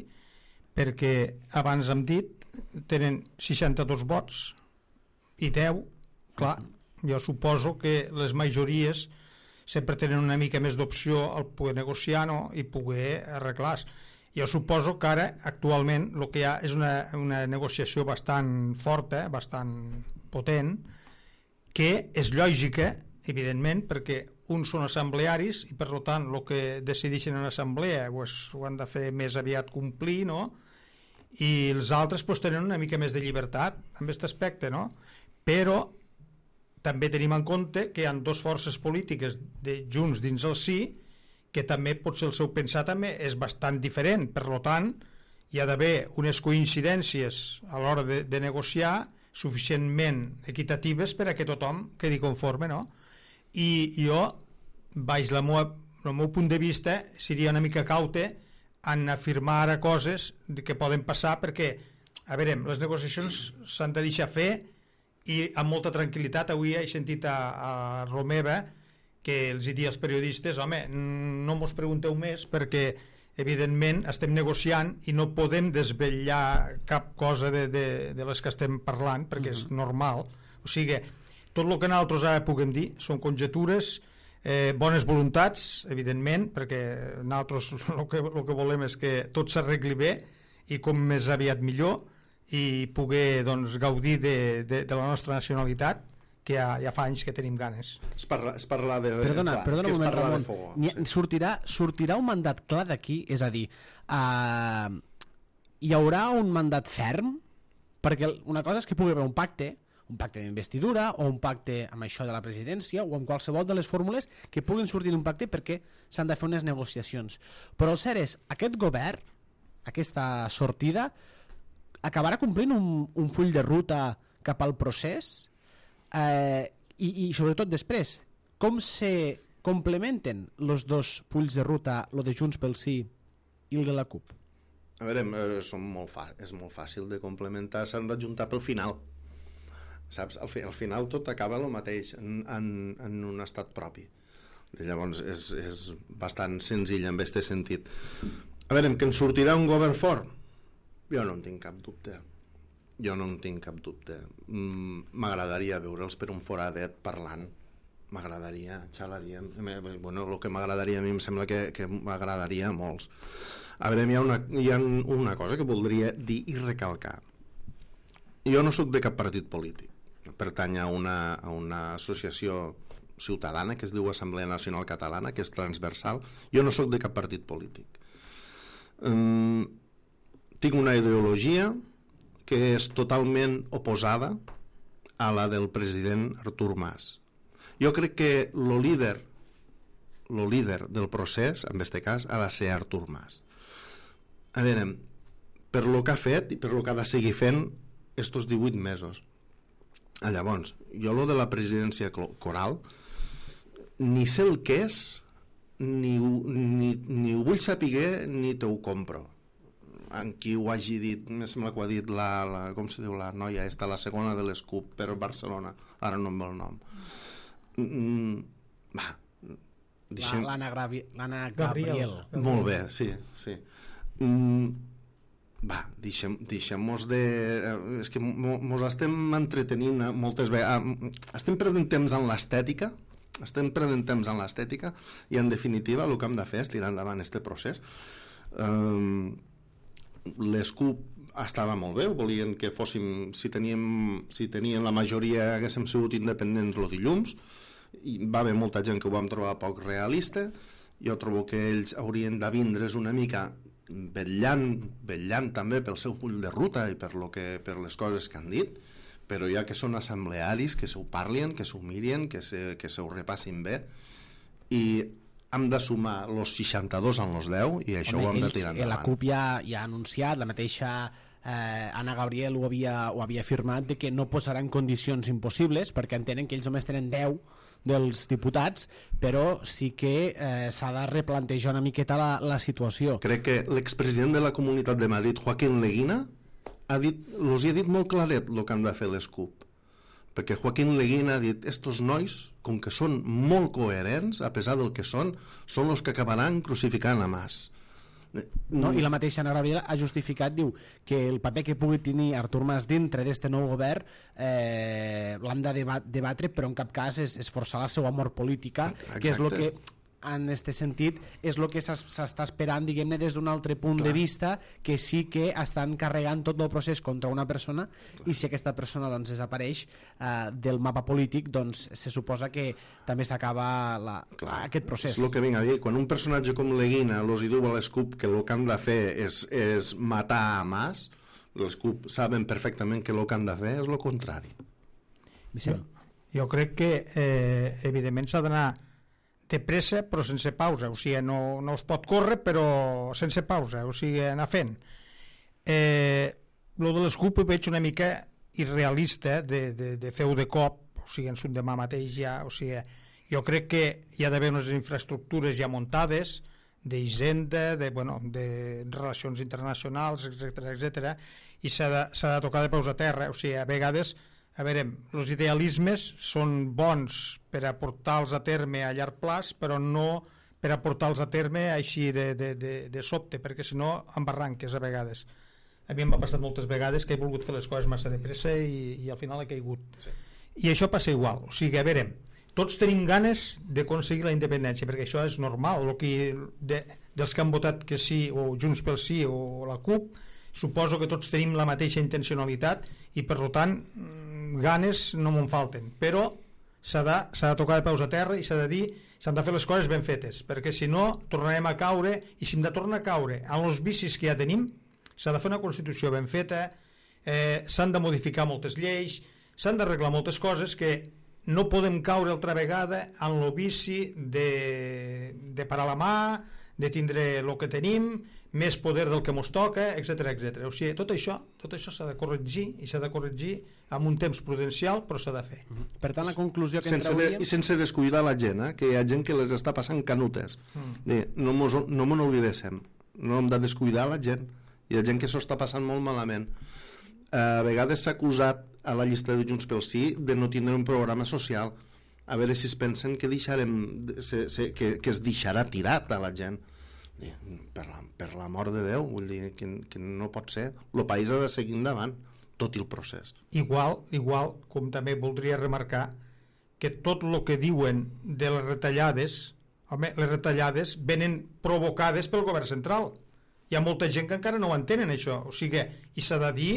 perquè abans hem dit tenen seixanta-dos vots i deu, clar, jo suposo que les majories sempre tenen una mica més d'opció al poder negociar, no?, i poder arreglar. Jo suposo que ara, actualment, el que hi ha és una, una negociació bastant forta, bastant potent, que és lògica, evidentment, perquè uns són assemblearis i, per tant, el que decideixen en assemblea pues, ho han de fer més aviat complir, no?, i els altres pues, tenen una mica més de llibertat en aquest aspecte, no? Però també tenim en compte que hi ha dues forces polítiques de Junts dins el sí, que també potser el seu pensar també és bastant diferent, per tant hi ha d'haver unes coincidències a l'hora de, de negociar suficientment equitatives per a que tothom quedi conforme, no? I jo, baix la meua, el meu punt de vista, seria una mica caute en afirmar ara coses que poden passar, perquè, a veure, les negociacions s'han de deixar fer i amb molta tranquil·litat. Avui he sentit a, a Romeva que els hi dia als periodistes, home, no mos pregunteu més perquè evidentment estem negociant i no podem desvetllar cap cosa de, de, de les que estem parlant perquè uh-huh. és normal. O sigui, tot el que nosaltres ara puguem dir són conjectures, eh, bones voluntats, evidentment, perquè nosaltres el que, el que volem és que tot s'arregli bé i com més aviat millor i poder doncs, gaudir de, de, de la nostra nacionalitat, que ja, ja fa anys que tenim ganes. És parlar, és parlar de... Perdona, clar, perdona un moment, Ramon. Fogo, sí. sortirà, sortirà un mandat clar d'aquí? És a dir, uh, hi haurà un mandat ferm? Perquè una cosa és que pugui haver un pacte, un pacte d'investidura o un pacte amb això de la presidència o amb qualsevol de les fórmules que puguin sortir d'un pacte perquè s'han de fer unes negociacions. Però el cert és, aquest govern, aquesta sortida, acabarà complint un, un full de ruta cap al procés eh, i, i sobretot després com se complementen els dos fulls de ruta, el de Junts pel Sí i el de la CUP? A veure, eh, són molt fa... és molt fàcil de complementar, s'han d'ajuntar pel final, saps? Al, fi, al final tot acaba el mateix en, en, en un estat propi. Llavors és, és bastant senzill en aquest sentit. A veure, que en sortirà un govern fort? Jo no en tinc cap dubte. Jo no en tinc cap dubte. M'agradaria veure'ls per un foradet parlant. M'agradaria, xalaria. Bueno, el que m'agradaria a mi em sembla que, que m'agradaria a molts. A veure, hi ha, una, hi ha una cosa que voldria dir i recalcar. Jo no sóc de cap partit polític. Pertany a una, a una associació ciutadana que es diu Assemblea Nacional Catalana, que és transversal. Jo no sóc de cap partit polític. Um, tinc una ideologia que és totalment oposada a la del president Artur Mas. Jo crec que el líder el líder del procés, en aquest cas, ha de ser Artur Mas. A veure, per lo que ha fet i per lo que ha de seguir fent estos divuit mesos. Llavors, jo lo de la presidència coral ni sé el que és, ni, ni, ni ho vull saber ni te ho compro. En qui ho hagi dit, em sembla que ho ha dit la, la, com se diu la noia esta, la segona de l'Escup per Barcelona, ara no em ve el nom. Mm, va, deixem... L'Anna Gabriel. Molt bé, sí, sí. Mm, va, deixem, deixem-nos de... És que mos estem entretenint moltes vegades, estem perdent temps en l'estètica, estem perdent temps en l'estètica i en definitiva el que hem de fer és tirar endavant este procés. Um, l'Escup estava molt bé, volien que fóssim, si teníem, si tenien la majoria haguéssim sigut independents el dilluns, i va haver molta gent que ho vam trobar poc realista. Jo trobo que ells haurien de vindre's una mica vetllant, vetllant també pel seu full de ruta i per, lo que, per les coses que han dit, però ja que són assemblearis, que s'ho parlin, que s'ho mirin, que se, que se ho repassin bé, i hem de sumar els seixanta-dos en els deu i això Home, ho hem de tirar endavant. La CUP ja, ja ha anunciat, la mateixa eh, Anna Gabriel ho havia, ho havia afirmat, de que no posaran condicions impossibles perquè entenen que ells només tenen deu dels diputats, però sí que eh, s'ha de replantejar una miqueta la, la situació. Crec que l'expresident de la Comunitat de Madrid, Joaquín Leguina, ha dit, els hi ha dit molt claret el que han de fer les CUP, perquè Joaquín Leguín ha dit estos nois, com que són molt coherents, a pesar del que són, són els que acabaran crucificant a Mas. No? I la mateixa Ana Gabriel ha justificat, diu, que el paper que pugui tenir Artur Mas dintre d'este nou govern eh, l'han de debat debatre, però en cap cas és, és forçar la seva amor política. Exacte. Que és el que en aquest sentit és el que s'està esperant, diguem-ne, des d'un altre punt Clar. de vista, que sí que estan carregant tot el procés contra una persona. Clar. I si aquesta persona doncs, desapareix eh, del mapa polític, doncs se suposa que també s'acaba aquest procés. És el que vinc a dir, quan un personatge com Leguina els diu a l'Escup que el que han de fer és, és matar a Mas, l'Escup saben perfectament que el que han de fer és el contrari. Jo, jo crec que eh, evidentment s'ha d'anar de pressa però sense pausa, o sigui, no, no es pot córrer però sense pausa, o sigui, anar fent. Eh, lo de l'Escup ho veig una mica irrealista de, de, de fer-ho de cop, o sigui, en un demà mateix ja, o sigui, jo crec que hi ha d'haver unes infraestructures ja muntades d'hisenda, de, bueno, de relacions internacionals, etcètera, etcètera, i s'ha de, s'ha de tocar de peus a terra, o sigui, a vegades a veure, els idealismes són bons per a portar-los a terme a llarg plaç, però no per a portar-los a terme així de, de, de, de sobte, perquè si no embarranques a vegades. A mi m'ha passat moltes vegades que he volgut fer les coses massa de pressa i, i al final he caigut. Sí. I això passa igual, o sigui, a veure, tots tenim ganes d'aconseguir la independència, perquè això és normal, el que de, dels que han votat que sí, o Junts pel Sí o la CUP, suposo que tots tenim la mateixa intencionalitat i per tant ganes no me'n falten, però s'ha de, s'ha de tocar de peus a terra i s'ha de dir, s'han de fer les coses ben fetes, perquè si no tornarem a caure, i si hem de tornar a caure en els vicis que ja tenim, s'ha de fer una Constitució ben feta, eh, s'han de modificar moltes lleis, s'han d'arreglar moltes coses que no podem caure altra vegada en el vici de, de parar la mà, de tindre el que tenim, més poder del que mos toca, etcètera, etcètera. O sigui, tot això, tot això s'ha de corregir i s'ha de corregir amb un temps prudencial, però s'ha de fer. Per tant, la conclusió que sense en trauríem... De, I sense descuidar la gent, eh? Que hi ha gent que les està passant canutes. Mm. No mos, no mos n'oblidéssim. No hem de descuidar la gent. Hi ha gent que s'ho està passant molt malament. A vegades s'ha acusat a la llista de Junts pel Sí de no tindre un programa social. A veure si es pensen que, deixarem, se, se, que, que es deixarà tirat a la gent. Per la, per la mort de Déu, vull dir que, que no pot ser. El país ha de seguir endavant, tot i el procés. Igual, igual, com també voldria remarcar que tot el que diuen de les retallades, home, les retallades venen provocades pel govern central. Hi ha molta gent que encara no ho entenen, això. O sigui, i s'ha de dir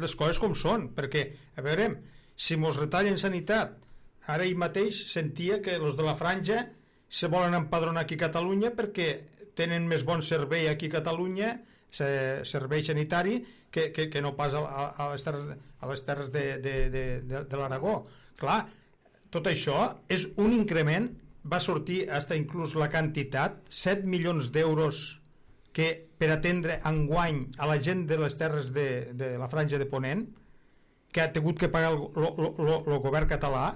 les coses com són, perquè, a veure, si mos retallen sanitat, ara ahir mateix sentia que els de la franja se volen empadronar aquí a Catalunya perquè tenen més bon servei aquí a Catalunya, servei sanitari, que, que, que no pas a, a les terres, a les terres de, de, de, de, de l'Aragó. Clar, tot això és un increment, va sortir fins inclús la quantitat, set milions d'euros que per atendre enguany a la gent de les terres de, de la franja de Ponent, que ha tingut que pagar el govern català,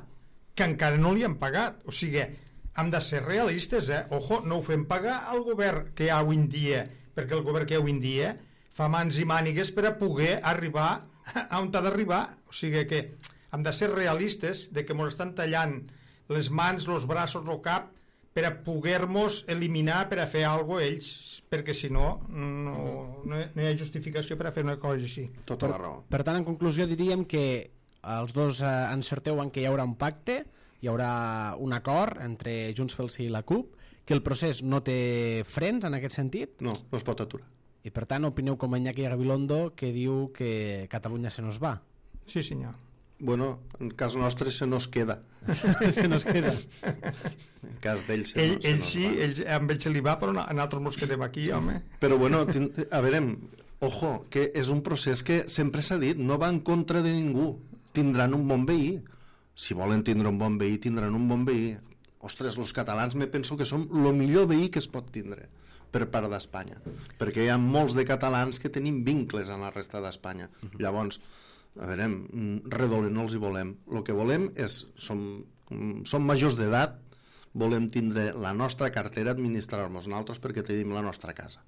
que encara no li han pagat. O sigui, hem de ser realistes, eh? Ojo, no ho fem pagar al govern que hi ha avui en dia, perquè el govern que hi ha avui en dia fa mans i mànigues per a poder arribar a on ha d'arribar. O sigui que hem de ser realistes de que ens estan tallant les mans, els braços, el cap, per a poder-nos eliminar per a fer alguna cosa ells, perquè si no, no, no hi ha justificació per a fer una cosa així. Tota la raó. Per tant, en conclusió diríem que els dos eh, encerteu en que hi haurà un pacte, hi haurà un acord entre Junts pel Sí i la CUP, que el procés no té frens en aquest sentit? No, no es pot aturar. I per tant opineu com Iñaki Gabilondo, que diu que Catalunya se nos va. Sí, senyor. Bueno, en cas nostre se nos queda. Se nos queda. En cas d'ell se, ell, no, se ell nos sí, va. ell, amb ell se li va, però a nosaltres ens quedem aquí, home. Però bueno, a veure, ojo, que és un procés que sempre s'ha dit, no va en contra de ningú. Tindran un bon veí. Si volen tindre un bon veí, tindran un bon veí. Ostres, els catalans me penso que som el millor veí que es pot tindre per part d'Espanya, perquè hi ha molts de catalans que tenim vincles en la resta d'Espanya. Uh-huh. Llavors, a veure, redolent no els hi volem. El que volem és, som, som majors d'edat, volem tindre la nostra cartera, administrar-nos nosaltres perquè tenim la nostra casa.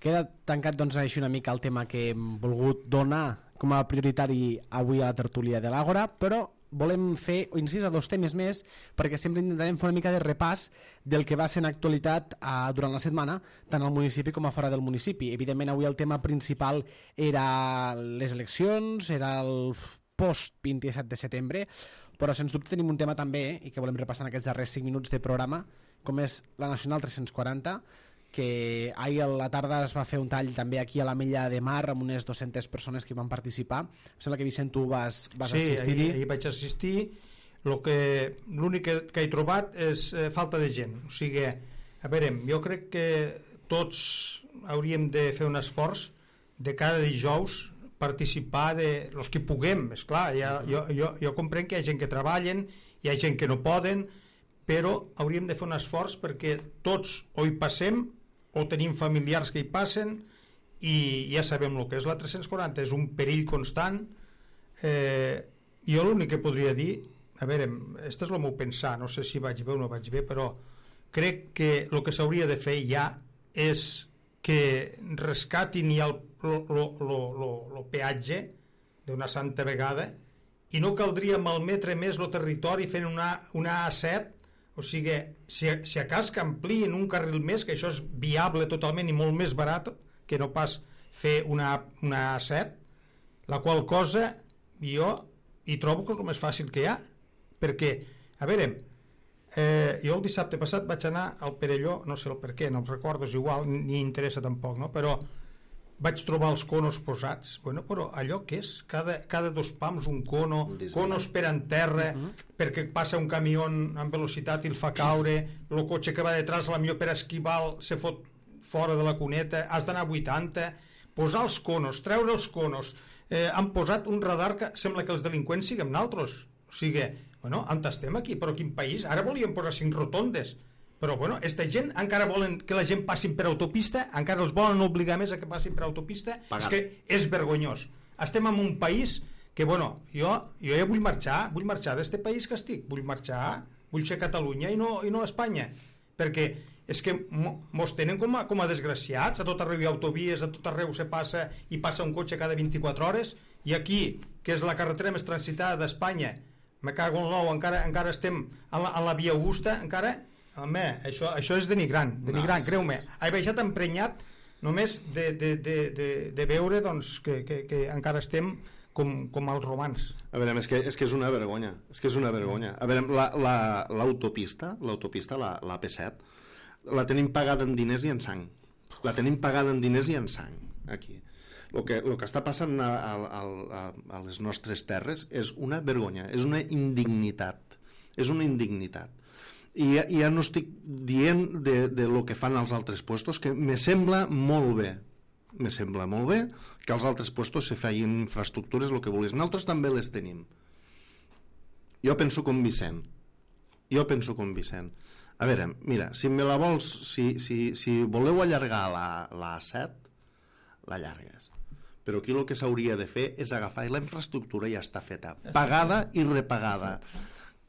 Queda tancat doncs així una mica el tema que hem volgut donar, com a prioritari avui a la tertúlia de l'Àgora, però volem fer incís a dos temes més perquè sempre intentarem fer una mica de repàs del que va ser en actualitat eh, durant la setmana, tant al municipi com a fora del municipi. Evidentment avui el tema principal era les eleccions, era el post vint-i-set de setembre, però sens dubte tenim un tema també i que volem repassar en aquests darrers cinc minuts de programa, com és la Nacional tres-cents quaranta, que ahir a la tarda es va fer un tall també aquí a l'Ametlla de Mar amb unes dues-centes persones que van participar. Em sembla que Vicent tu vas, vas sí, assistir. Sí, ahir, ahir vaig assistir. L'únic que, que he trobat és eh, falta de gent. O sigui, a veure, jo crec que tots hauríem de fer un esforç de cada dijous participar de los que puguem. Esclar, ja, jo, jo, jo comprenc que hi ha gent que treballen, hi ha gent que no poden, però hauríem de fer un esforç perquè tots o hi passem o tenim familiars que hi passen i ja sabem el que és la tres-cents quaranta, és un perill constant. eh, jo l'únic que podria dir, a veure, este és el meu pensar, no sé si vaig bé o no vaig bé, però crec que el que s'hauria de fer ja és que rescatin ja el, lo, lo, lo, lo peatge d'una santa vegada i no caldria malmetre més el territori fent una, una A set. O sigui, si, si a cas que amplien un carril més, que això és viable totalment i molt més barat que no pas fer una, una A set, la qual cosa jo hi trobo que és el més fàcil que hi ha, perquè, a veure, eh, jo el dissabte passat vaig anar al Perelló, no sé el per què, no em recordo, és igual, ni interessa tampoc, no? Però vaig trobar els conos posats. Bueno, però allò què és? Cada, cada dos pams un cono, conos per en terra, uh -huh. perquè passa un camió amb velocitat i el fa caure, el cotxe que va detrás, la millor per esquivar se fot fora de la cuneta, has d'anar a vuitanta, posar els conos, treure els conos. Eh, han posat un radar que sembla que els delinqüents siguem naltros. O sigui, bueno, on estem aquí? Però quin país? Ara volíem posar cinc rotondes. Però, bueno, aquesta gent encara volen que la gent passin per autopista, encara els volen obligar més a que passin per autopista. Pagat. És que és vergonyós. Estem en un país que, bueno, jo, jo ja vull marxar, vull marxar d'este país que estic, vull marxar, vull ser Catalunya i no, i no Espanya, perquè és que mos tenen com a, com a desgraciats, a tot arreu hi ha autovies, a tot arreu se passa i passa un cotxe cada vint-i-quatre hores, i aquí, que és la carretera més transitada d'Espanya, me cago en l'ou, encara, encara estem en la, en la via Augusta, encara... Home, això, això és denigrant, denigrant, no, creu-me. He baixat emprenyat només de, de, de, de, de veure doncs, que, que, que encara estem com, com els romans. A veure, és que, és que és una vergonya, és que és una vergonya. A veure, l'autopista, la, l'autopista, la, la P set, la tenim pagada en diners i en sang. La tenim pagada en diners i en sang, aquí. El que, el que està passant a, a, a, a les nostres terres és una vergonya, és una indignitat, és una indignitat. I ja, ja no estic dient de, de lo que fan als altres puestos, que me sembla molt bé, me sembla molt bé que als altres puestos se feien infraestructures, el que vulguis. Nosaltres també les tenim. Jo penso com Vicent. Jo penso com Vicent. A veure, mira, si me la vols, si, si, si voleu allargar la, la A set, l'allargues. Però aquí el que s'hauria de fer és agafar, i la infraestructura ja està feta, pagada i repagada.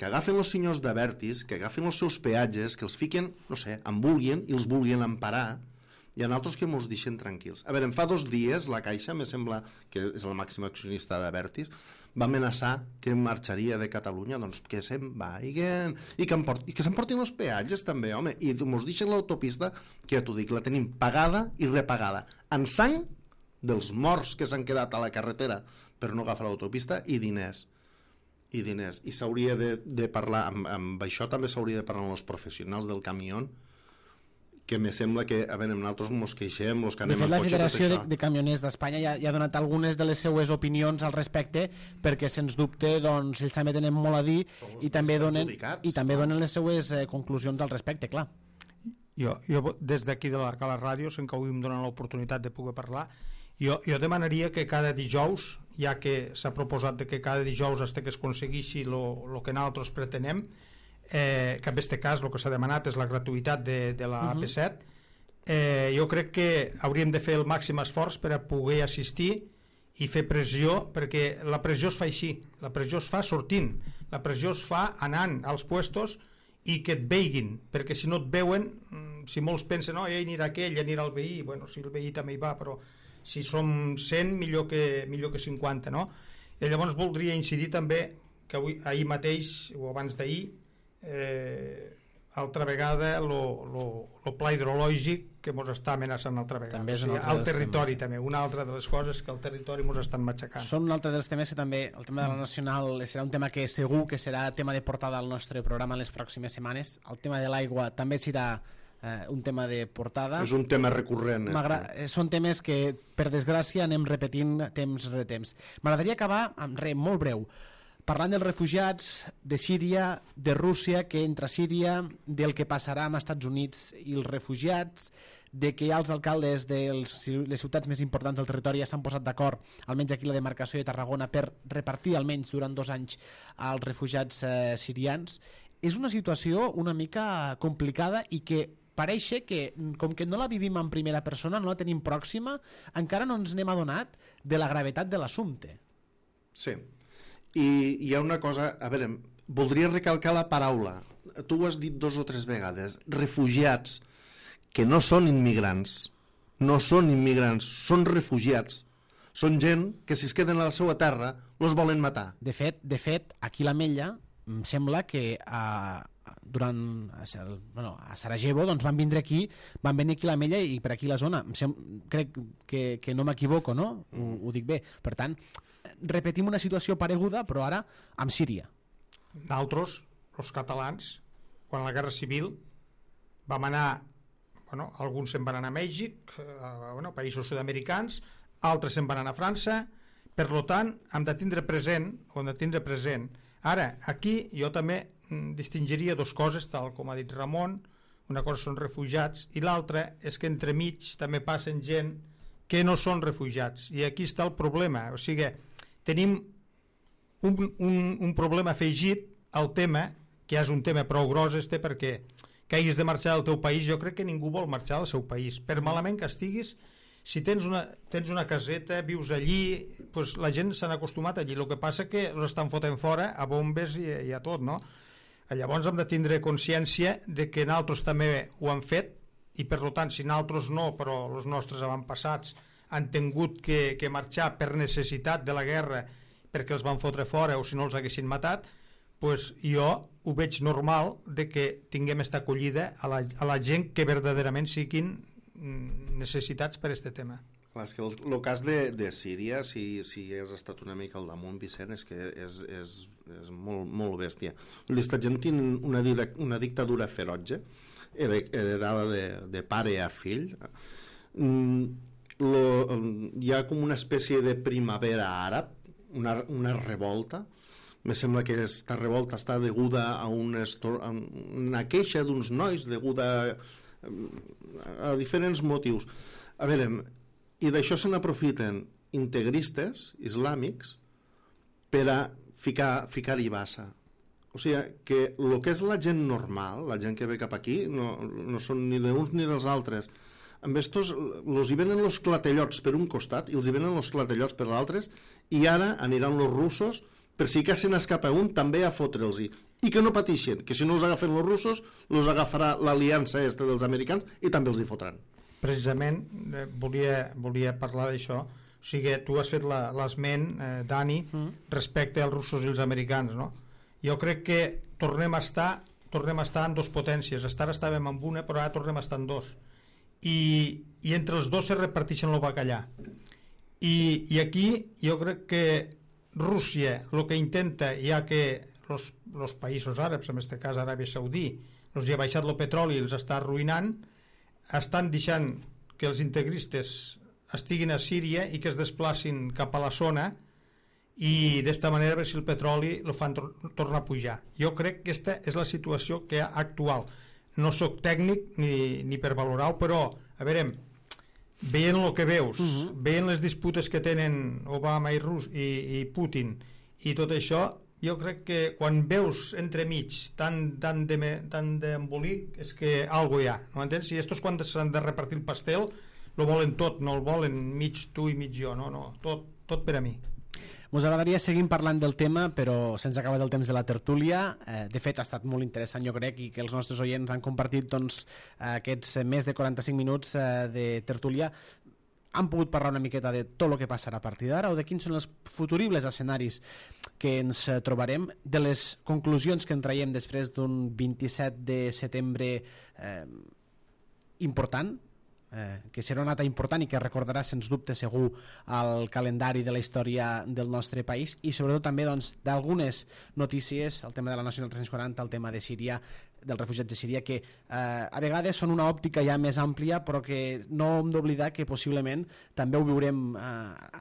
Que agafen els senyors d'Abertis, que agafen els seus peatges, que els fiquen, no sé, en vulguin i els vulguin emparar, i en altres que mos deixen tranquils. A veure, fa dos dies la Caixa, me sembla que és el màxim accionista d'Abertis, va amenaçar que marxaria de Catalunya, doncs que se'n vagin i que, i que s'emportin els peatges també, home, i mos deixen l'autopista, que ja t'ho dic, la tenim pagada i repagada, en sang dels morts que s'han quedat a la carretera per no agafar l'autopista, i diners i diners, i s'hauria de, de parlar amb, amb això també s'hauria de parlar amb els professionals del camió, que me sembla que, a veure, nosaltres mos queixem, els que anem de fet, al la cotxe, Federació de, de Camioners d'Espanya ja, ja ha donat algunes de les seues opinions al respecte, perquè sens dubte doncs, ells també tenen molt a dir i també, donen, i també donen les seues eh, conclusions al respecte, clar. Jo, jo des d'aquí de la Cala Ràdio, sense que avui em donen l'oportunitat de poder parlar, jo, jo demanaria que cada dijous, ja que s'ha proposat de que cada dijous hasta que es aconsegueixi el que nosaltres pretenem, eh, que en aquest cas el que s'ha demanat és la gratuïtat de, de la uh -huh. A P set, eh, jo crec que hauríem de fer el màxim esforç per a poder assistir i fer pressió, perquè la pressió es fa així, la pressió es fa sortint, la pressió es fa anant als puestos i que et veiguin, perquè si no et veuen, si molts pensen, no, oh, ja anirà aquell, ja anirà el veí, bueno, si el veí també hi va, però si som cent, millor que, millor que cinquanta, no? I llavors voldria incidir també que avui, ahir mateix, o abans d'ahir, eh, altra vegada el pla hidrològic que ens està amenaçant altra vegada, també és o sigui, el territori temes. També, una altra de les coses que el territori ens estan matxacant. Són un altre dels temes que també, el tema de la nacional serà un tema que segur que serà tema de portada al nostre programa en les pròximes setmanes. El tema de l'aigua també serà eh, un tema de portada. És un tema recurrent. Este. Són temes que, per desgràcia, anem repetint temps rere temps. M'agradaria acabar amb res molt breu, parlant dels refugiats, de Síria, de Rússia, que entra a Síria, del que passarà amb els Estats Units i els refugiats, de que els alcaldes de les ciutats més importants del territori ja s'han posat d'acord, almenys aquí la demarcació de Tarragona, per repartir almenys durant dos anys als refugiats eh, sirians. És una situació una mica complicada i que pareix que, com que no la vivim en primera persona, no la tenim pròxima, encara no ens n'hem adonat de la gravetat de l'assumpte. Sí. I hi ha una cosa, a veure, voldria recalcar la paraula, tu ho has dit dos o tres vegades, refugiats, que no són immigrants, no són immigrants, són refugiats, són gent que si es queden a la seva terra els volen matar. De fet, de fet aquí a l'Ametlla em sembla que a, durant, bueno, a Sarajevo doncs van vindre aquí, van venir aquí a l'Ametlla i per aquí la zona, sem, crec que, que no m'equivoco, no? Ho, ho dic bé. Per tant, repetim una situació pareguda, però ara amb Síria. Nosaltres, els catalans, quan la Guerra Civil vam anar, bueno, alguns se'n van anar a Mèxic, a bueno, països sud-americans, altres se'n van anar a França, per tant, hem de tindre present, hem de tindre present. Ara, aquí jo també distingiria dues coses, tal com ha dit Ramon, una cosa són refugiats i l'altra és que entremig també passen gent que no són refugiats, i aquí està el problema, o sigui, tenim un, un, un problema afegit al tema, que és un tema prou gros este, perquè que hagis de marxar del teu país, jo crec que ningú vol marxar del seu país, per malament que estiguis, si tens una, tens una caseta, vius allí, pues la gent s'han acostumat allí, el que passa que els estan fotent fora a bombes i, i a tot, no? Llavors hem de tindre consciència de que nosaltres també ho han fet, i per tant, si nosaltres no, però els nostres avantpassats han tingut que, que marxar per necessitat de la guerra perquè els van fotre fora o si no els haguessin matat, pues jo ho veig normal de que tinguem esta acollida a la, a la gent que verdaderament siguin necessitats per aquest tema. Clar, és que el, el cas de, de Síria, si, si has estat una mica al damunt, Vicent, és que és, és, és molt, molt bèstia. Aquesta gent té una, una dictadura ferotge, heredada de, de pare a fill. Mm, lo, hi ha com una espècie de primavera àrab, una, una revolta. Me sembla que aquesta revolta està deguda a una, a una queixa d'uns nois, deguda a, a diferents motius. A veure, i d'això se n'aprofiten integristes islàmics per a ficar, ficar-hi bassa. O sigui, que el que és la gent normal, la gent que ve cap aquí, no, no són ni d'uns ni dels altres. Amb estos, els hi venen els clatellots per un costat i els hi venen els clatellots per l'altre, i ara aniran els russos per si que se n'escapa un també a fotre'ls-hi. I que no pateixen, que si no els agafen els russos, els agafarà l'aliança esta dels americans i també els hi fotran. Precisament eh, volia, volia parlar d'això. O sigui, tu has fet l'esment, eh, Dani, mm. respecte als russos i els americans, no? Jo crec que tornem a estar tornem a estar en dues potències. Ara estàvem en una, però ara tornem a estar en dos. I, i entre els dos se reparteixen el bacallà. I, i aquí jo crec que Rússia el que intenta, ja que els països àrabs, en aquest cas Aràbia Saudí, els hi ha baixat el petroli i els està arruïnant, estan deixant que els integristes estiguin a Síria i que es desplacin cap a la zona, i d'esta manera a veure si el petroli el fan tor tornar a pujar. Jo crec que aquesta és la situació que hi ha actual. No sóc tècnic ni, ni per valorar-ho, però a veure, veient el que veus, uh -huh. veient les disputes que tenen Obama i, Rus i, i Putin i tot això, jo crec que quan veus entremig tant, tant d'embolic és que algo hi ha, no entens? Si estos quan s'han de repartir el pastel lo volen tot, no el volen mig tu i mig jo, no, no, tot, tot per a mi. Ens agradaria seguir parlant del tema, però se'ns ha acabat el temps de la tertúlia. Eh, de fet, ha estat molt interessant, jo crec, i que els nostres oients han compartit doncs, aquests més de quaranta-cinc minuts eh, de tertúlia. han pogut parlar una miqueta de tot el que passarà a partir d'ara o de quins són els futuribles escenaris que ens trobarem, de les conclusions que en traiem després d'un vint-i-set de setembre eh, important, eh, que serà una data important i que recordarà sens dubte segur el calendari de la història del nostre país, i sobretot també doncs, d'algunes notícies, el tema de la Nacional tres-cents quaranta, el tema de Síria, dels refugiats de Síria, que eh, a vegades són una òptica ja més àmplia, però que no hem d'oblidar que possiblement també ho viurem eh,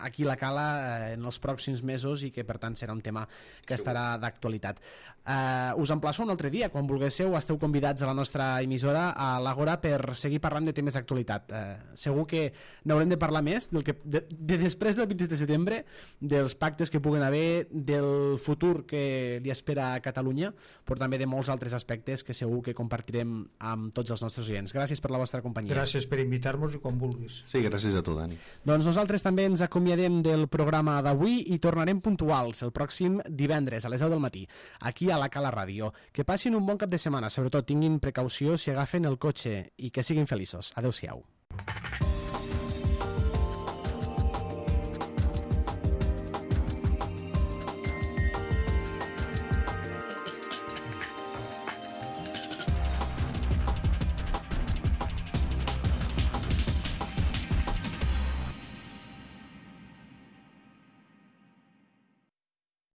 aquí a la Cala eh, en els pròxims mesos, i que per tant serà un tema que estarà d'actualitat. Eh, us emplaço un altre dia, quan vulguéssiu esteu convidats a la nostra emissora, a l'Àgora, per seguir parlant de temes d'actualitat. Eh, segur que n'haurem de parlar més del que, de, de després del vint-i-set de setembre, dels pactes que puguen haver, del futur que li espera a Catalunya, però també de molts altres aspectes que segur que compartirem amb tots els nostres oients. Gràcies per la vostra companyia. Gràcies per invitar-nos i quan vulguis. Sí, gràcies a tu, Dani. Doncs nosaltres també ens acomiadem del programa d'avui i tornarem puntuals el pròxim divendres a les deu del matí, aquí a la Cala Ràdio. Que passin un bon cap de setmana, sobretot tinguin precaució si agafen el cotxe i que siguin feliços. Adéu-siau.